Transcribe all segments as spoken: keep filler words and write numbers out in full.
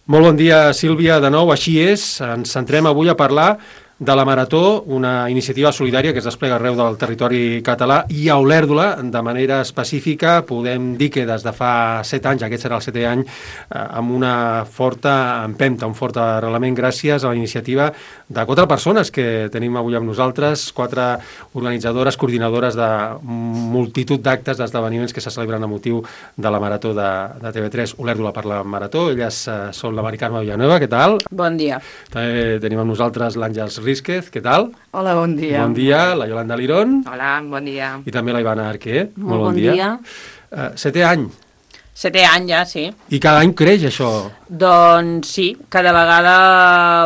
Molt bon dia, Sílvia, de nou, així és. Ens centrem avui a parlar de la Marató, una iniciativa solidària que es desplega arreu del territori català, i a Olèrdola, de manera específica, podem dir que des de fa set anys, aquest serà el setè any, eh, amb una forta empenta, un fort arrelament gràcies a la iniciativa de quatre persones que tenim avui amb nosaltres, quatre organitzadores, coordinadores de multitud d'actes, d'esdeveniments que se celebren a motiu de la Marató de, de T V tres, Olèrdola per la Marató. Elles eh, són la Mari Carme Villanueva, què tal? Bon dia. També tenim amb nosaltres l'Àngels Rísquez, què tal? Hola, bon dia. Bon dia, la Yolanda Lirón. Hola, bon dia. I també la Ivana Arquer. Molt, Molt bon, bon dia. dia. Uh, setè any. Setè any ja, sí. I cada any creix això? Doncs sí, cada vegada,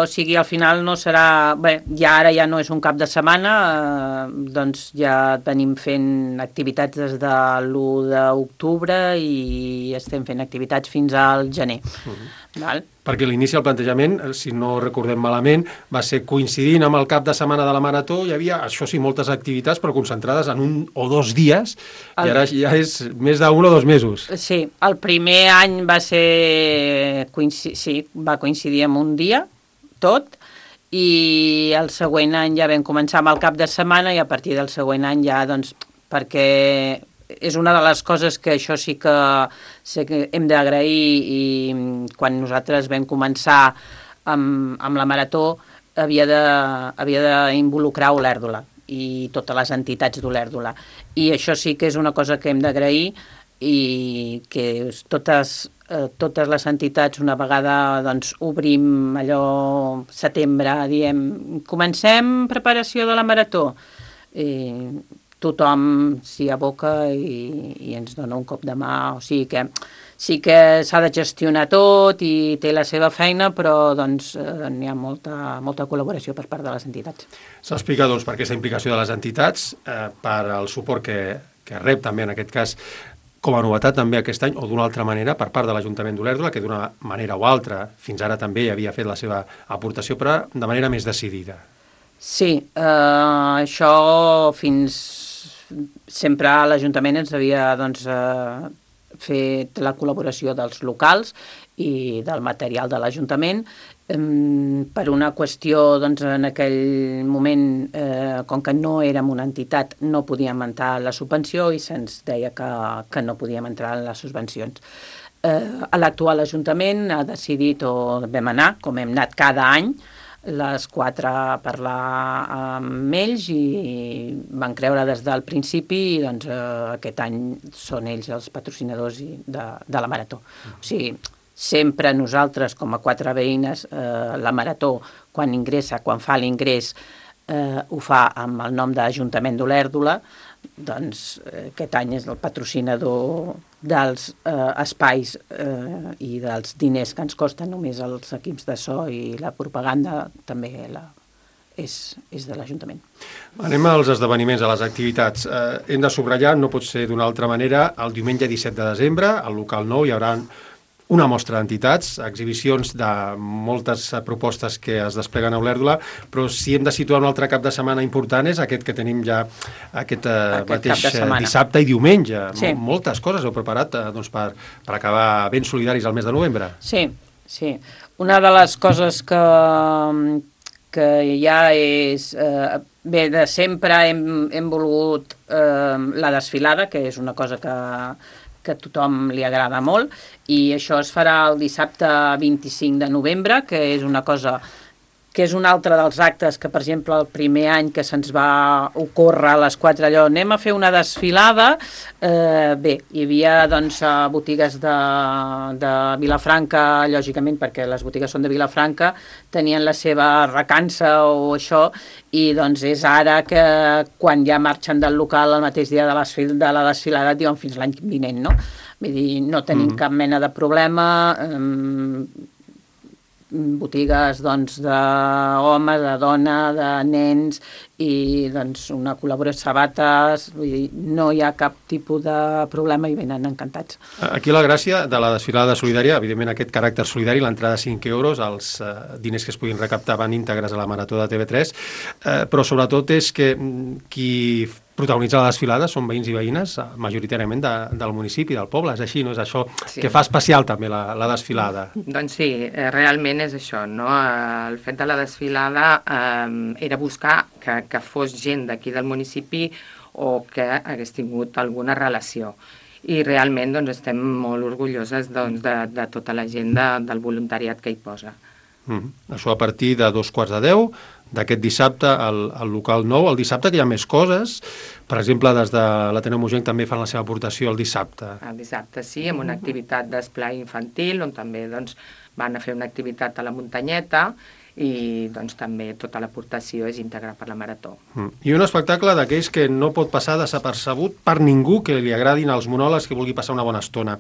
o sigui, al final no serà... Bé, ja ara ja no és un cap de setmana, eh, doncs ja venim fent activitats des de l'u d'octubre i estem fent activitats fins al gener. Uh -huh. Val? Perquè l'inici del plantejament, si no recordem malament, va ser coincidint amb el cap de setmana de la Marató. Hi havia, això sí, moltes activitats, però concentrades en un o dos dies, el... i ara ja és més d'un o dos mesos. Sí, el primer any va ser... Coinci... Sí, va coincidir amb un dia, tot, i el següent any ja vam començar amb el cap de setmana i a partir del següent any ja, doncs, perquè... és una de les coses que això sí que, sí que hem d'agrair, i quan nosaltres vam començar amb, amb la Marató havia de, havia d'involucrar Olèrdola i totes les entitats d'Olèrdola, i això sí que és una cosa que hem d'agrair, i que totes, eh, totes les entitats, una vegada doncs, obrim allò setembre, diem comencem preparació de la Marató, i tothom s'hi aboca i, i ens dona un cop de mà. O sigui que sí que s'ha de gestionar tot i té la seva feina, però doncs, eh, n'hi ha molta, molta col·laboració per part de les entitats. S'explica doncs, per aquesta implicació de les entitats, eh, per al suport que, que rep també en aquest cas, com a novetat també aquest any, o d'una altra manera, per part de l'Ajuntament d'Olèrdola, que d'una manera o altra, fins ara també havia fet la seva aportació, però de manera més decidida. Sí, eh, això fins... Sempre l'Ajuntament ens havia doncs, eh, fet la col·laboració dels locals i del material de l'Ajuntament. Eh, per una qüestió, doncs, en aquell moment, eh, com que no érem una entitat, no podíem entrar en la subvenció i se'ns deia que, que no podíem entrar en les subvencions. Eh, L'actual Ajuntament ha decidit, o vam anar, com hem anat cada any, les quatre a parlar amb ells i van creure des del principi i doncs, eh, aquest any són ells els patrocinadors de, de la Marató. O sigui, sempre nosaltres com a quatre veïnes, eh, la Marató, quan ingressa, quan fa l'ingrés, eh, ho fa amb el nom d'Ajuntament d'Olèrdola, doncs eh, aquest any és el patrocinador dels eh, espais eh, i dels diners que ens costen només els equips de so i la propaganda, també la, és, és de l'Ajuntament. Anem als esdeveniments, a les activitats. Eh, hem de subratllar, no pot ser d'una altra manera, el diumenge disset de desembre, al local nou, hi haurà una mostra d'entitats, exhibicions de moltes propostes que es despleguen a Olèrdola, però si hem de situar un altre cap de setmana important és aquest que tenim ja aquest, eh, aquest mateix dissabte i diumenge. Sí. Moltes coses heu preparat eh, doncs, per, per acabar ben solidaris al mes de novembre. Sí, sí. Una de les coses que, que ja és... Eh, bé, de sempre hem, hem volgut eh, la desfilada, que és una cosa que... que a tothom li agrada molt, i això es farà el dissabte vint-i-cinc de novembre, que és una cosa que és un altre dels actes que, per exemple, el primer any que se'ns va ocórrer a les quatre allò, anem a fer una desfilada, eh, bé, hi havia doncs botigues de, de Vilafranca, lògicament, perquè les botigues són de Vilafranca, tenien la seva recança o això, i doncs és ara que quan ja marxen del local el mateix dia de, desfil, de la desfilada diuen fins l'any vinent, no? Vull dir, no tenim mm. cap mena de problema, eh, botigues doncs, d'home, de dona, de nens i doncs, una col·laboració de sabates, vull dir, no hi ha cap tipus de problema i venen encantats. Aquí la gràcia de la desfilada solidària, evidentment aquest caràcter solidari, l'entrada de cinc euros, els eh, diners que es puguin recaptar van íntegres a la Marató de T V tres, eh, però sobretot és que qui protagonitza la desfilada són veïns i veïnes, majoritàriament de, del municipi, del poble. És així, no? És això sí. que fa especial també la, la desfilada. Doncs sí, realment és això, no? El fet de la desfilada eh, era buscar que, que fos gent d'aquí del municipi o que hagués tingut alguna relació. I realment doncs, estem molt orgulloses doncs, de, de tota la gent de, del voluntariat que hi posa. Mm. Això a partir de dos quarts de deu, d'aquest dissabte al, al local nou. El dissabte que hi ha més coses, per exemple, des de l'Ateneu Mogenc també fan la seva aportació el dissabte. El dissabte sí, amb una activitat d'esplai infantil, on també doncs, van a fer una activitat a la muntanyeta, i doncs, també tota l'aportació és íntegra per la Marató. Mm. I un espectacle d'aquells que no pot passar desapercebut per ningú que li agradin els monòlegs, que vulgui passar una bona estona.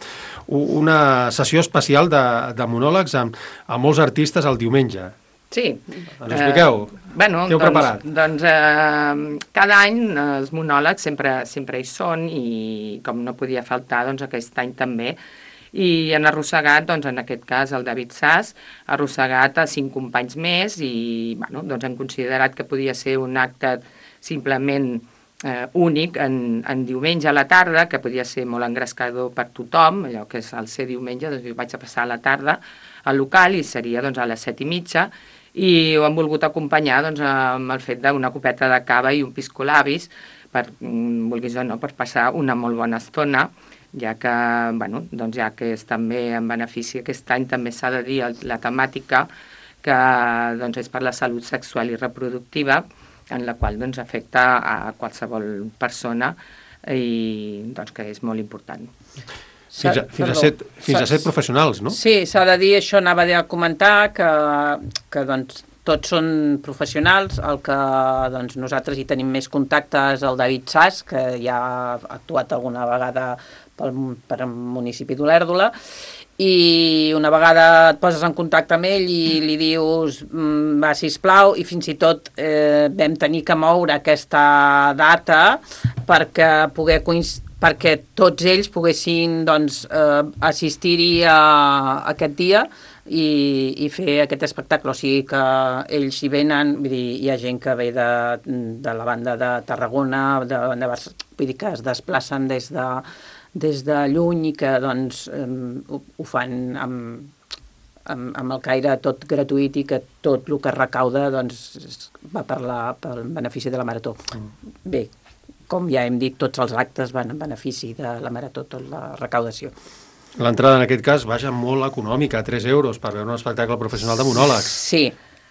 Una sessió especial de, de monòlegs amb, amb molts artistes el diumenge. Sí. Ens expliqueu? Eh, bueno, Què heu doncs, preparat? Doncs eh, cada any els monòlegs sempre, sempre hi són i com no podia faltar, doncs aquest any també. I han arrossegat, doncs, en aquest cas, el David Sass, ha arrossegat a cinc companys més i bueno, doncs han considerat que podia ser un acte simplement eh, únic en, en diumenge a la tarda, que podia ser molt engrescador per tothom, allò que és el ser diumenge, doncs jo vaig a passar a la tarda al local i seria doncs, a les set i mitja, i ho han volgut acompanyar doncs, amb el fet d'una copeta de cava i un piscolabis, per, vulguis o no, per passar una molt bona estona, ja que, bueno, doncs ja que és també en benefici, aquest any també s'ha de dir la temàtica que doncs, és per la salut sexual i reproductiva, en la qual doncs, afecta a qualsevol persona i doncs, que és molt important. Fins a, fins a, set, fins a set professionals, no? Sí, s'ha de dir, això anava a comentar, que, que doncs, tots són professionals, el que doncs, nosaltres hi tenim més contactes el David Sass, que ja ha actuat alguna vegada pel, per al municipi d'Olèrdola, i una vegada et poses en contacte amb ell i li dius va, sisplau, i fins i tot eh, vam tenir que moure aquesta data perquè poder coincidir perquè tots ells poguessin doncs, eh, assistir-hi a, a aquest dia i, i fer aquest espectacle. O sigui que ells hi venen, vull dir, hi ha gent que ve de, de la banda de Tarragona, de, de Barcelona, vull dir que es desplacen des de, des de lluny i que doncs, eh, ho, ho fan amb, amb, amb el caire tot gratuït i que tot el que es recauda doncs, va per la, pel benefici de la Marató. Mm. Bé, com ja hem dit, tots els actes van en benefici de la Marató, tota la recaudació. L'entrada en aquest cas, vaja, molt econòmica, tres euros per veure un espectacle professional de monòlegs. Sí,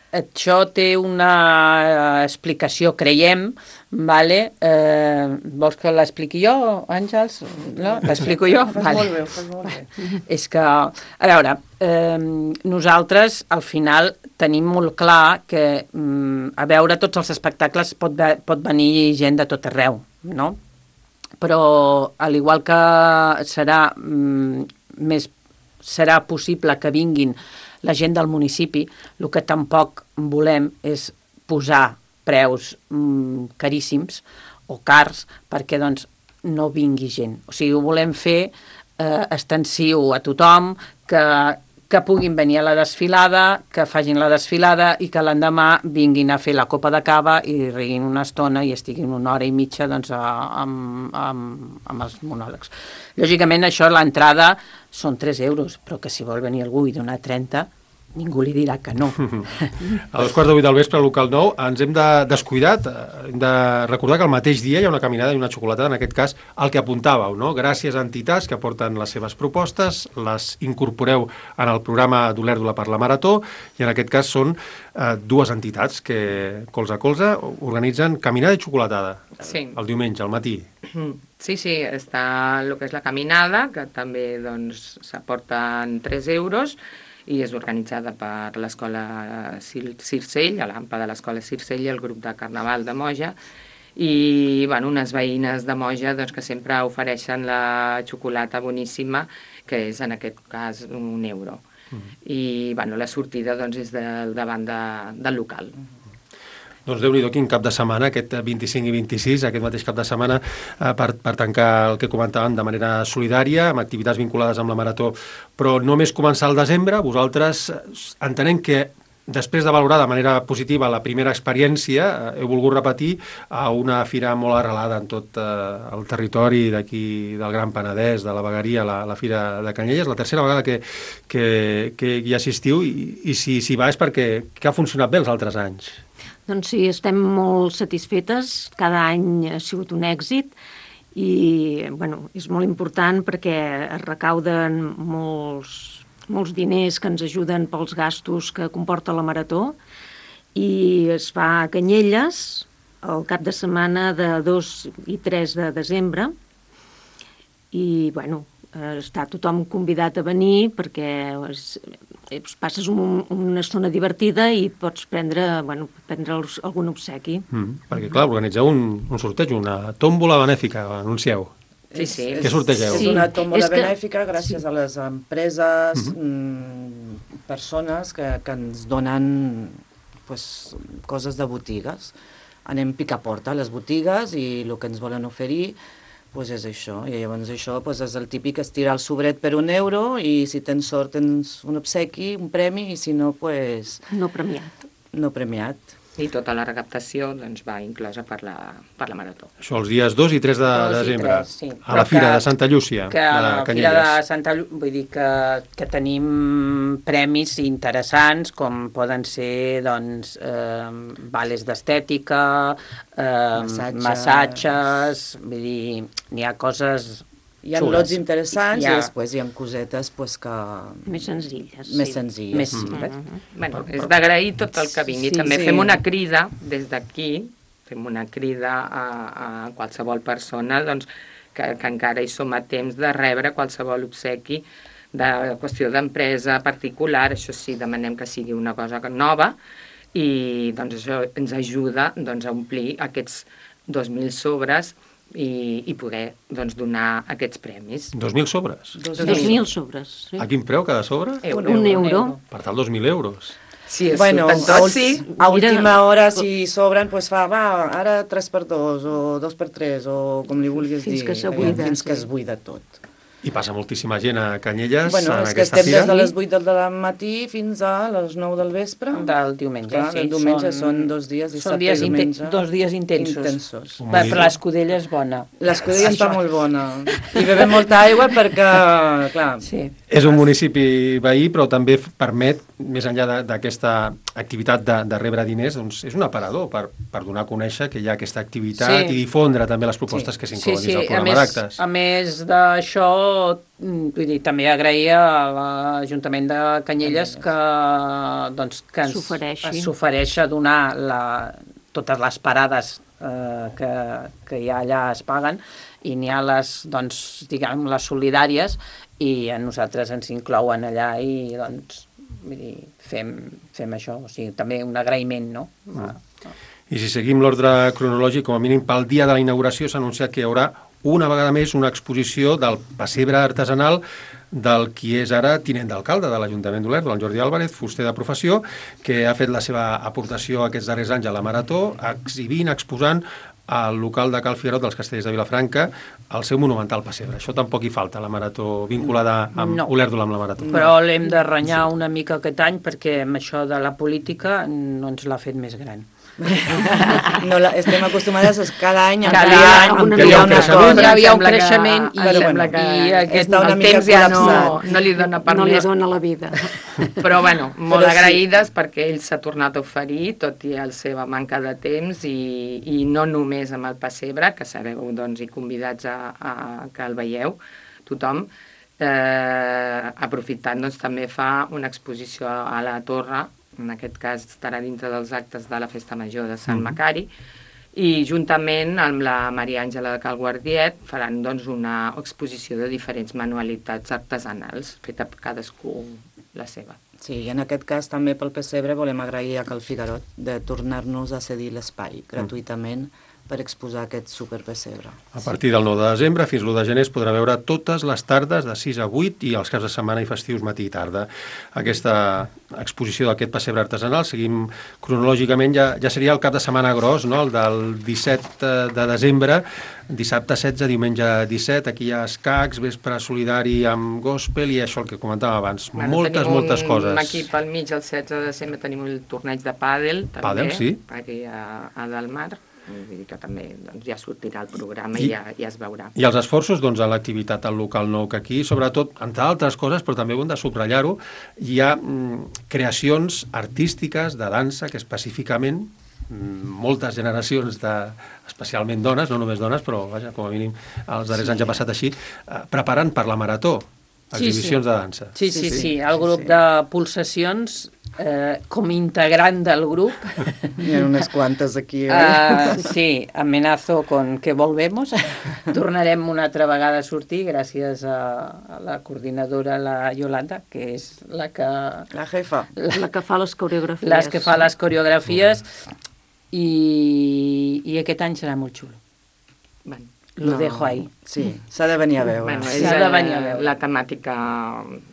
això té una explicació, creiem, vale? Eh, vols que l'expliqui jo, Àngels? No? L'explico jo? Fas vale. molt bé, fas molt bé. És que, a veure, eh, nosaltres al final tenim molt clar que mm, a veure tots els espectacles pot, ve pot venir gent de tot arreu, no? Però al igual que serà, mm, més, serà possible que vinguin la gent del municipi, el que tampoc volem és posar preus mm, caríssims o cars perquè doncs, no vingui gent. O sigui, ho volem fer eh, extensiu a tothom, que, que puguin venir a la desfilada, que facin la desfilada i que l'endemà vinguin a fer la copa de cava i riguin una estona i estiguin una hora i mitja doncs, a, amb, amb, amb els monòlegs. Lògicament, això, l'entrada són tres euros, però que si vol venir algú i donar trenta, ningú li dirà que no. A dos quarts de vuit del vespre al local nou ens hem de descuidat, hem de recordar que el mateix dia hi ha una caminada i una xocolatada, en aquest cas el que apuntàveu, no? Gràcies a entitats que aporten les seves propostes, les incorporeu en el programa d'Olèrdola per la Marató i en aquest cas són eh, dues entitats que colze a colze organitzen caminada i xocolatada sí. el diumenge, al matí. Sí, sí, està el que és la caminada, que també doncs, s'aporten tres euros, i és organitzada per l'escola Circell, a l'AMPA de l'escola Circell i el grup de Carnaval de Moja, i bueno, unes veïnes de Moja doncs, que sempre ofereixen la xocolata boníssima, que és en aquest cas un euro. Mm. I bueno, la sortida doncs, és del davant de, del local. Mm. Doncs Déu-n'hi-do, quin cap de setmana, aquest vint-i-cinc i vint-i-sis, aquest mateix cap de setmana, eh, per, per tancar el que comentàvem de manera solidària, amb activitats vinculades amb la Marató. Però només començar el desembre, vosaltres entenem que després de valorar de manera positiva la primera experiència, he volgut repetir a una fira molt arrelada en tot eh, el territori d'aquí del Gran Penedès, de la Vegueria, la, la Fira de Canyelles, la tercera vegada que, que, que hi assistiu, i, i si, si va és perquè que ha funcionat bé els altres anys. Doncs sí, estem molt satisfetes, cada any ha sigut un èxit, i bueno, és molt important perquè es recauden molts molts diners que ens ajuden pels gastos que comporta la marató, i es fa a Canyelles el cap de setmana de dos i tres de desembre, i bueno, està tothom convidat a venir perquè es, es passes un, una estona divertida i pots prendre, bueno, prendre algun obsequi. Mm, perquè clar, organitzeu un, un sorteig, una tòmbola benèfica, anuncieu. Sí, sí. Què sortegeu? És una tòmbola és que... benèfica gràcies sí. a les empreses, uh-huh. mm, persones que, que ens donen pues, coses de botigues. Anem pica porta a les botigues i el que ens volen oferir pues, és això. I llavors això pues, és el típic estirar el sobret per un euro i si tens sort tens un obsequi, un premi, i si no, pues... No premiat. No premiat. I tota la recaptació doncs, va inclosa per la, per la marató. Això els dies dos i tres de desembre, tres, sí. a la Fira de Santa Llúcia, que a la de Fira Canyelles. de Santa Llúcia, vull dir que, que tenim premis interessants, com poden ser doncs, eh, vales d'estètica, eh, Massatges. massatges, vull dir, n'hi ha coses Hi ha xules. lots interessants ha... i després hi ha cosetes pues, que... Més senzilles. Més sí. senzilles. Més Mm. simples. Bueno, és d'agrair tot el que vingui. Sí, També sí. fem una crida des d'aquí, fem una crida a, a qualsevol persona doncs, que, que encara hi som a temps de rebre qualsevol obsequi de qüestió d'empresa particular. Això sí, demanem que sigui una cosa nova i doncs, això ens ajuda doncs, a omplir aquests dos mil sobres i, i poder doncs, donar aquests premis. Dos mil sobres? Dos Dos mil sobres. Sí. A quin preu cada sobre? Euro. Un euro. Per tal, dos mil euros. Si es Bueno, surten a, tots, sí. a Mira, última hora, si sobren, pues fa, va, ara tres per dos, o dos per tres, o com li vulguis Fins dir. que s'abuida, Fins que sí. es buida tot. I passa moltíssima gent a Canyelles Bueno, en és que aquesta estem fira. des de les vuit del matí fins a les nou del vespre. Del diumenge, Clar, sí. el diumenge són dos dies, són dissabte dies i inte- diumenge. dos dies intensos. Intensos. Un Va, moviment. però l'escudella és bona. L'escudella està molt bona. I bevem molta aigua perquè, clar, Sí. És un municipi veí, però també f- permet, més enllà de- d'aquesta activitat de, de rebre diners, doncs és un aparador per, per donar a conèixer que hi ha aquesta activitat Sí. i difondre també les propostes Sí. que Sí, s'inclouen sí, dins del a programa més, d'actes. a més d'això, mm, vull dir, també agrair a l'Ajuntament de Canyelles que, doncs, que ens S'ofereixi. s'ofereix a donar la, totes les parades eh, que, que hi ha allà es paguen, i n'hi ha les, doncs, diguem, les solidàries, i a nosaltres ens inclouen allà i, doncs, vull dir, fem, fem això. O sigui, també un agraïment, no? Mm. I si seguim l'ordre cronològic, com a mínim pel dia de la inauguració s'ha anunciat que hi haurà una vegada més una exposició del pessebre artesanal del qui és ara tinent d'alcalde de l'Ajuntament d'Olèrdola, el Jordi Álvarez, fuster de professió, que ha fet la seva aportació aquests darrers anys a la Marató, exhibint, exposant al local de Cal Figuerot dels Castellers de Vilafranca el seu monumental pessebre. Això tampoc hi falta, la Marató vinculada amb No. Olèrdola amb la Marató. Però l'hem de renyar una mica aquest any perquè amb això de la política no ens l'ha fet més gran. no la, estem acostumades a cada any a Cada ampliar, any ampliar que hi ha un una creixement. cosa. Hi havia un Sembla que- creixement i, però bueno, sembla que i aquest, està una el mica temps ja no, col·lapsat. no li dona per No li més. dona la vida. Però bueno, molt Però sí. agraïdes perquè ell s'ha tornat a oferir, tot i la seva manca de temps, i, i no només amb el pessebre, que sereu doncs, i convidats a, a que el veieu, tothom, eh, aprofitant doncs, també fa una exposició a la Torre, en aquest cas estarà dintre dels actes de la Festa Major de Sant Macari, i juntament amb la Maria Àngela de Cal Guardiet faran doncs, una exposició de diferents manualitats artesanals, feta per cadascú la seva. Sí, i en aquest cas també pel pessebre volem agrair a Cal Figuerot de tornar-nos a cedir l'espai gratuïtament per exposar aquest superpessebre. A partir del nou de desembre fins l'u de gener es podrà veure totes les tardes de sis a vuit i els caps de setmana i festius matí i tarda. Aquesta exposició d'aquest pessebre artesanal, seguim cronològicament, ja, ja seria el cap de setmana gros, no? El del disset de desembre, dissabte setze, diumenge disset, aquí hi ha escacs, vespre solidari amb gospel i això el que comentàvem abans, Bueno, moltes, moltes coses. Aquí pel mig, el setze de desembre, tenim el torneig de pàdel, també, Pàdel, sí. aquí a, a Delmar. Vull dir que també doncs, ja sortirà el programa i, I ja, ja es veurà. I els esforços doncs, a l'activitat al local nou, que aquí, sobretot, entre altres coses, però també ho hem de subratllar-ho, hi ha mm, creacions artístiques de dansa que específicament mm, moltes generacions, de, especialment dones, no només dones, però vaja, com a mínim els darrers sí. anys ha passat així, eh, preparant per la marató exhibicions sí, sí. de dansa. Sí, sí, sí. sí. El sí, grup sí. de Pulsacions, eh, com integrant del grup... Hi ha unes quantes aquí, eh? Uh, sí, amenazo con que volvemos. Tornarem una altra vegada a sortir gràcies a, a la coordinadora, la Yolanda, que és la que... La jefa. La que fa les coreografies. Les que fa les coreografies i, i aquest any serà molt xulo. Bueno, Lo No, dejo ahí. Sí, s'ha de venir a veure. bueno, Sí, és, s'ha de eh, venir a veure. la temàtica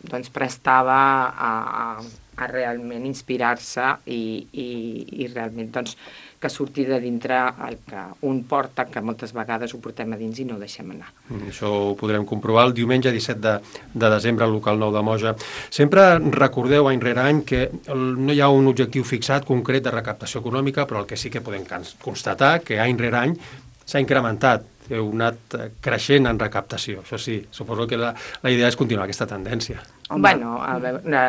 doncs, prestava a, a, a realment inspirar-se i, i, i realment doncs, que surti de dintre el que un porta, que moltes vegades ho portem a dins i no ho deixem anar. Mm, Això ho podrem comprovar el diumenge disset de, de desembre al local nou de Moja. Sempre recordeu any rere any que el, no hi ha un objectiu fixat concret de recaptació econòmica, però el que sí que podem constatar que any rere any s'ha incrementat, heu anat creixent en recaptació. Això sí, suposo que la, la idea és continuar aquesta tendència. Home. Bueno, a veure,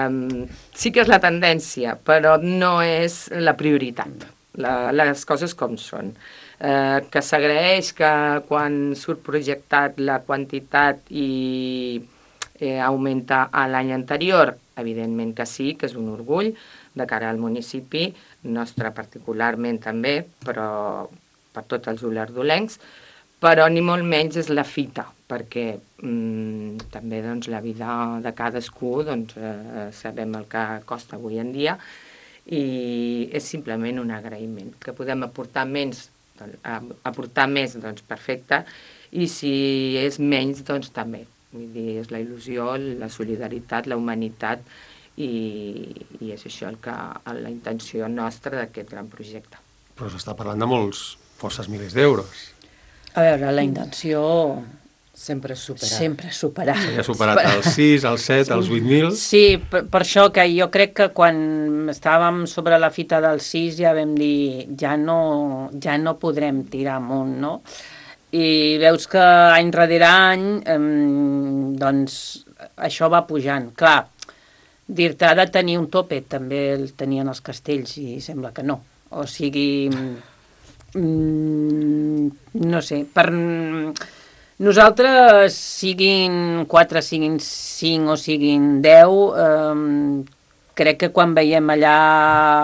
um, sí que és la tendència, però no és la prioritat. La, les coses com són. Eh, que s'agraeix que quan surt projectat la quantitat i eh, augmenta a l'any anterior, evidentment que sí, que és un orgull de cara al municipi, nostre particularment també, però per tots els olerdolencs, però ni molt menys és la fita, perquè mm, també doncs, la vida de cadascú doncs, eh, sabem el que costa avui en dia i és simplement un agraïment. Que podem aportar menys, doncs, aportar més, doncs perfecte, i si és menys, doncs també. Vull dir, és la il·lusió, la solidaritat, la humanitat i, i és això el que, la intenció nostra d'aquest gran projecte. Però s'està parlant de molts, forces milers d'euros. A veure, la intenció Sempre superar. sempre superar. S'ha superat els sis, els set, els vuit mil... Sí, per, per això que jo crec que quan estàvem sobre la fita del sis ja vam dir ja no, ja no podrem tirar amunt, no? I veus que any rere any eh, doncs això va pujant. Clar, dir-te ha de tenir un tope, també el tenien els castells i sembla que no. O sigui, mm, no sé, per... Nosaltres, siguin quatre, siguin cinc o siguin deu, eh, crec que quan veiem allà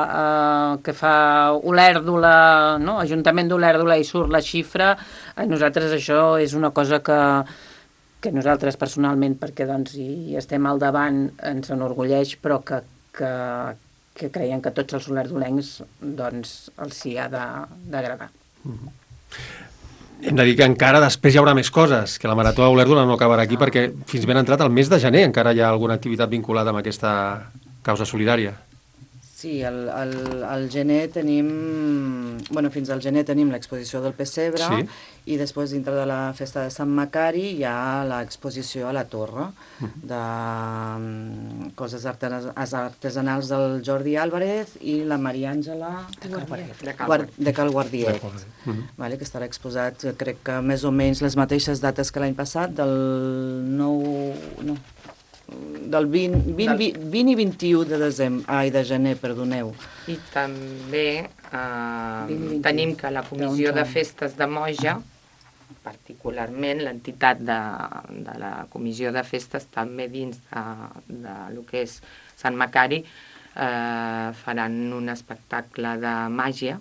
eh, que fa Olèrdola, no? Ajuntament d'Olèrdola i surt la xifra, a nosaltres això és una cosa que, que nosaltres personalment, perquè doncs, hi estem al davant, ens enorgulleix, però que, que, que creiem que tots els olerdolencs doncs, els hi ha d'agradar. Mm-hmm. Hem de dir que encara després hi haurà més coses, que la Marató a Olèrdola no acabarà aquí perquè fins ben entrat el mes de gener encara hi ha alguna activitat vinculada amb aquesta causa solidària. Sí, al, al, al gener tenim... Bueno, fins al gener tenim l'exposició del pessebre Sí. i després dintre de la festa de Sant Macari hi ha l'exposició a la torre de um, coses artenas, artesanals del Jordi Álvarez i la Maria Àngela De Cal Guar- de Cal Guardiet. Mhm. Vale, que estarà exposat, crec que més o menys les mateixes dates que l'any passat, del nou... No, del vint, vint, vint, vint i vint-i-u de desembre, ai, de gener, perdoneu. I també eh, vint i vint-i-u. tenim que la Comissió Doncs, de Festes de Moja, particularment l'entitat de, de la Comissió de Festes, també dins de, de lo que és Sant Macari, eh, faran un espectacle de màgia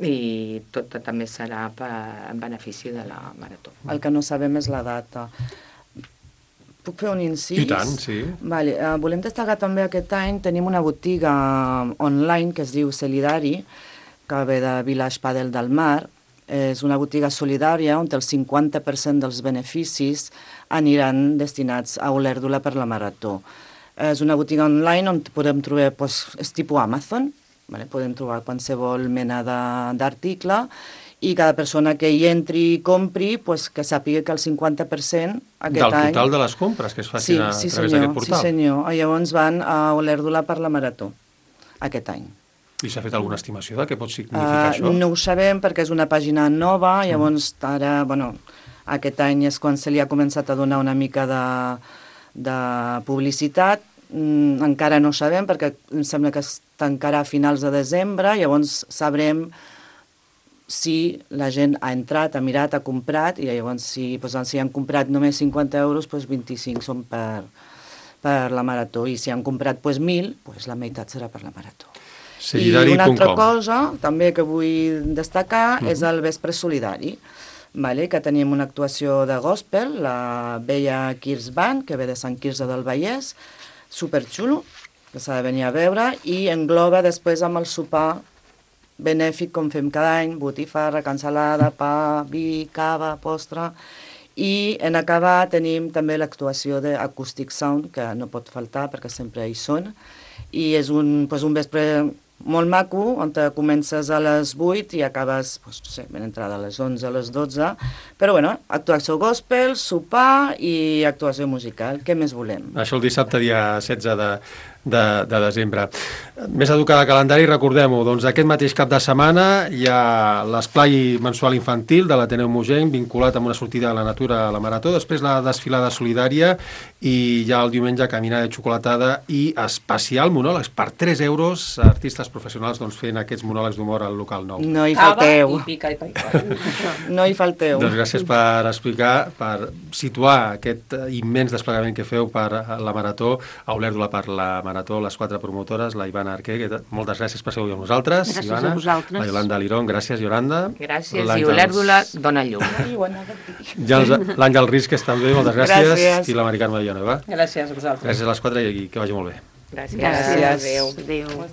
i tot també serà per, en benefici de la Marató. El que no sabem és la data. Puc fer un incís? I tant, sí. Vale, uh, volem destacar també aquest any, tenim una botiga online que es diu Celidari, que ve de Village Padel del Mar, És una botiga solidària on el cinquanta per cent dels beneficis aniran destinats a Olèrdula per la Marató. És una botiga online on podem trobar, doncs, és tipus Amazon, vale? Podem trobar qualsevol mena d'article i cada persona que hi entri i compri, pues, que sàpiga que el cinquanta per cent aquest Del any... total de les compres que es facin sí, a sí, través senyor, d'aquest portal? Sí, senyor. Llavors van a Olèrdula per la Marató aquest any. I s'ha fet alguna estimació de què pot significar Uh, això? no ho sabem perquè és una pàgina nova, llavors ara, bueno, aquest any és quan se li ha començat a donar una mica de, de publicitat, mm, encara no sabem perquè em sembla que es tancarà a finals de desembre, llavors sabrem si la gent ha entrat, ha mirat, ha comprat, i llavors si, doncs, si han comprat només cinquanta euros, doncs vint-i-cinc són per, per la Marató, i si han comprat doncs, mil, doncs la meitat serà per la Marató. Solidari I una punt altra com. cosa també que vull destacar Mhm. és el Vespre Solidari, vale? Que tenim una actuació de gospel, la Bella Kirs Band, que ve de Sant Quirze del Vallès, superxulo, que s'ha de venir a veure, i engloba després amb el sopar benèfic, com fem cada any, botifarra, cansalada, pa, vi, cava, postre, i en acabar tenim també l'actuació d'Acoustic Sound, que no pot faltar perquè sempre hi són, i és un, doncs, un vespre molt maco, on te comences a les vuit i acabes, doncs, no sé, ben entrada a les onze, a les dotze, però bueno, actuació gospel, sopar i actuació musical, què més volem? Això el dissabte, dia setze de, de, de desembre. Més educada calendari, recordem-ho, doncs aquest mateix cap de setmana hi ha l'esplai mensual infantil de l'Ateneu Mogenc, vinculat amb una sortida a la natura a la Marató, després la desfilada solidària i ja el diumenge caminada de xocolatada i especial monòlegs per tres euros, artistes professionals doncs, fent aquests monòlegs d'humor al local nou. No hi Cava falteu. i pica i pica. No hi falteu. Doncs gràcies per explicar, per situar aquest immens desplegament que feu per la Marató, a Olèrdula per la Marató, les quatre promotores, la Ivana Arquer, que moltes gràcies per ser avui amb nosaltres. Gràcies Ivana, a vosaltres. la Yolanda Lirón, gràcies, Yolanda. Gràcies, i L'Àngels- Olèrdula dona llum. Ja els- l'Àngel Risques també, moltes gràcies. Gràcies. I la Mari Carme Villanueva. Gràcies a vosaltres. Gràcies a les quatre i que vagi molt bé. Gràcies. Gràcies. Adéu. Adéu.